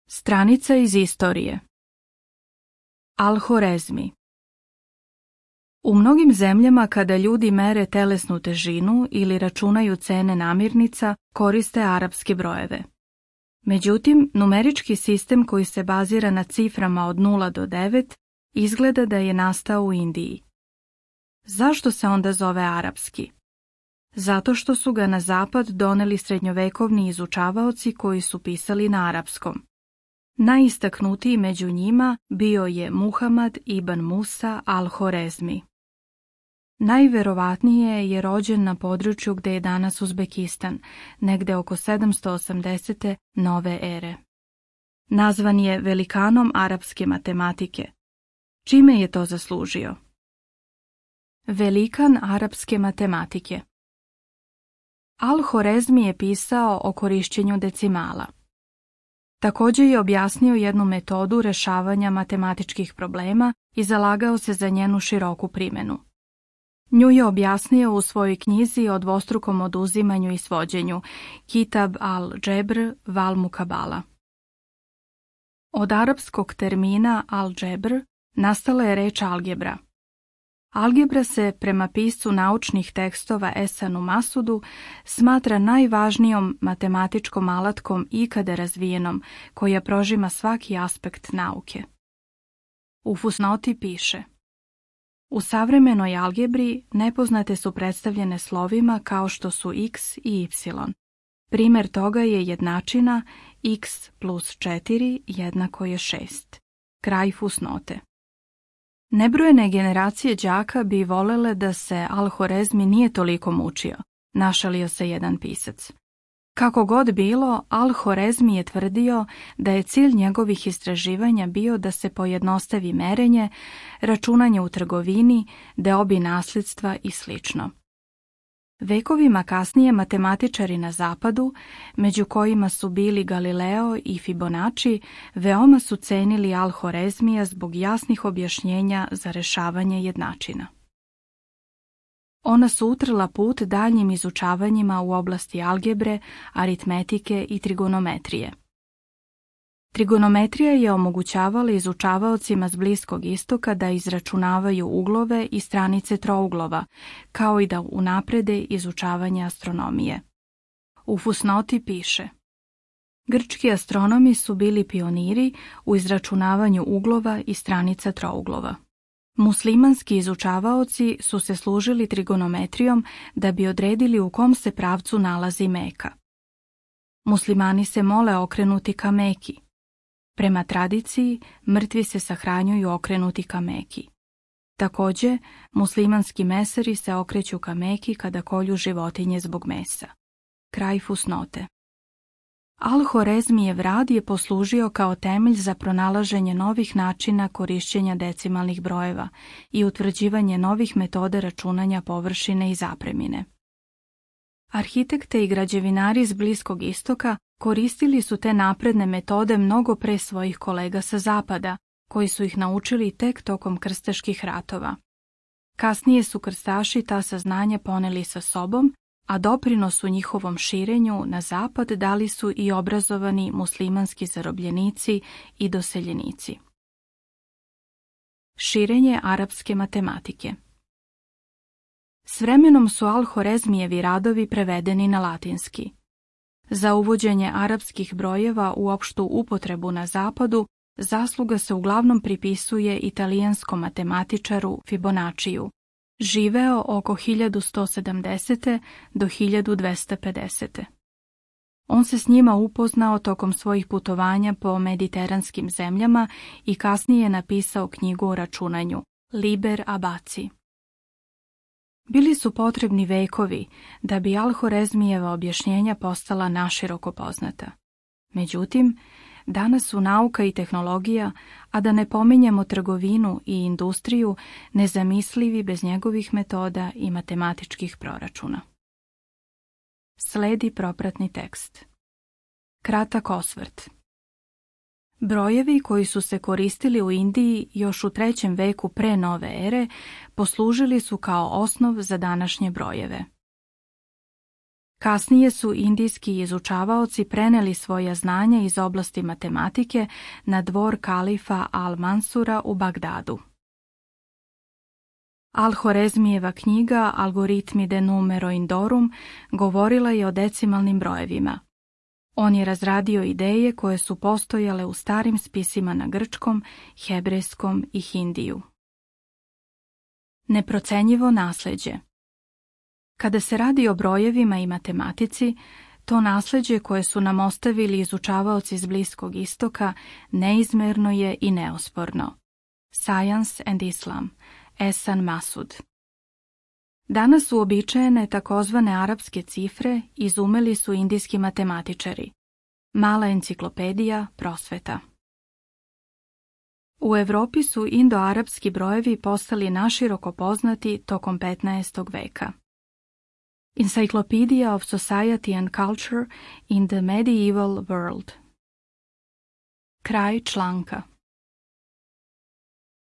Stranica iz istorije. Al-Horezmi. U mnogim zemljama kada ljudi mere telesnu težinu ili računaju cene namirnica, koriste arapske brojeve. Međutim, numerički sistem koji se bazira na ciframa od 0 do 9 izgleda da je nastao u Indiji. Zašto se onda zove arapski? Zato što su ga na zapad doneli srednjovekovni izučavaoci koji su pisali na arapskom. Najistaknutiji među njima bio je Muhamad ibn Musa al-Horezmi. Najverovatnije je rođen na području gde je danas Uzbekistan, negde oko 780. nove ere. Nazvan je velikanom arapske matematike. Čime je to zaslužio? Velikan arapske matematike. Al-Horezmi je pisao o korišćenju decimala. Također je objasnio jednu metodu rešavanja matematičkih problema i zalagao se za njenu široku primjenu. Nju je objasnio u svojoj knjizi o dvostrukom oduzimanju i svođenju, Kitab al-Džebr val Mukabala. Od arapskog termina al-Džebr nastala je reč algebra. Algebra se, prema piscu naučnih tekstova Esanu Masudu, smatra najvažnijom matematičkom alatkom ikada razvijenom, koja prožima svaki aspekt nauke. U fusnoti piše: u savremenoj algebri nepoznate su predstavljene slovima kao što su x i y. Primjer toga je jednačina x plus 4 jednako je 6. Kraj fusnote. Nebrojene generacije đaka bi volele da se Al-Horezmi nije toliko mučio, našalio se jedan pisac. Kako god bilo, Al-Horezmi je tvrdio da je cilj njegovih istraživanja bio da se pojednostavi merenje, računanje u trgovini, deobi nasljedstva i sl. Vekovima kasnije matematičari na zapadu, među kojima su bili Galileo i Fibonacci, veoma su cenili Al-Horezmija zbog jasnih objašnjenja za rešavanje jednačina. Ona su utrla put daljnjim izučavanjima u oblasti algebre, aritmetike i trigonometrije. Trigonometrija je omogućavala izučavaocima s Bliskog istoka da izračunavaju uglove i stranice trouglova, kao i da unaprede izučavanje astronomije. U fusnoti piše: grčki astronomi su bili pioniri u izračunavanju uglova i stranica trouglova. Muslimanski izučavaoci su se služili trigonometrijom da bi odredili u kom se pravcu nalazi Meka. Muslimani se mole okrenuti ka Meki. Prema tradiciji, mrtvi se sahranjuju okrenuti ka Meki. Također, muslimanski mesari se okreću ka Meki kada kolju životinje zbog mesa. Kraj fusnote. Al-Horezmijev rad je poslužio kao temelj za pronalaženje novih načina korišćenja decimalnih brojeva i utvrđivanje novih metoda računanja površine i zapremine. Arhitekte i građevinari s Bliskog istoka koristili su te napredne metode mnogo pre svojih kolega sa zapada, koji su ih naučili tek tokom krstaških ratova. Kasnije su krstaši ta saznanja poneli sa sobom, a doprinos u njihovom širenju na zapad dali su i obrazovani muslimanski zarobljenici i doseljenici. Širenje arapske matematike. S vremenom su Al-Horezmijevi radovi prevedeni na latinski. Za uvođenje arapskih brojeva u opštu upotrebu na zapadu zasluga se uglavnom pripisuje italijanskom matematičaru Fibonacciju, živeo oko 1170. do 1250. On se s njima upoznao tokom svojih putovanja po mediteranskim zemljama i kasnije napisao knjigu o računanju, Liber Abaci. Bili su potrebni vekovi da bi Al-Horezmijeva objašnjenja postala naširoko poznata. Međutim, danas su nauka i tehnologija, a da ne pominjemo trgovinu i industriju, nezamislivi bez njegovih metoda i matematičkih proračuna. Sledi propratni tekst. Kratak osvrt. Brojevi koji su se koristili u Indiji još u 3. veku pre nove ere poslužili su kao osnov za današnje brojeve. Kasnije su indijski izučavaoci preneli svoja znanja iz oblasti matematike na dvor kalifa Al-Mansura u Bagdadu. Al-Horezmijeva knjiga Algoritmi de numero indorum govorila je o decimalnim brojevima. On je razradio ideje koje su postojale u starim spisima na grčkom, hebrejskom i hindiju. Neprocenjivo nasljeđe. Kada se radi o brojevima i matematici, to nasljeđe koje su nam ostavili izučavaoci iz Bliskog istoka neizmerno je i neosporno. Science and Islam, Ehsan Masud. Danas uobičajene takozvane arapske cifre izumeli su indijski matematičari. Mala enciklopedija prosveta. U Europi su indoarapski brojevi postali naširoko poznati tokom 15. veka. Encyclopedia of Society and Culture in the Medieval World. Kraj članka.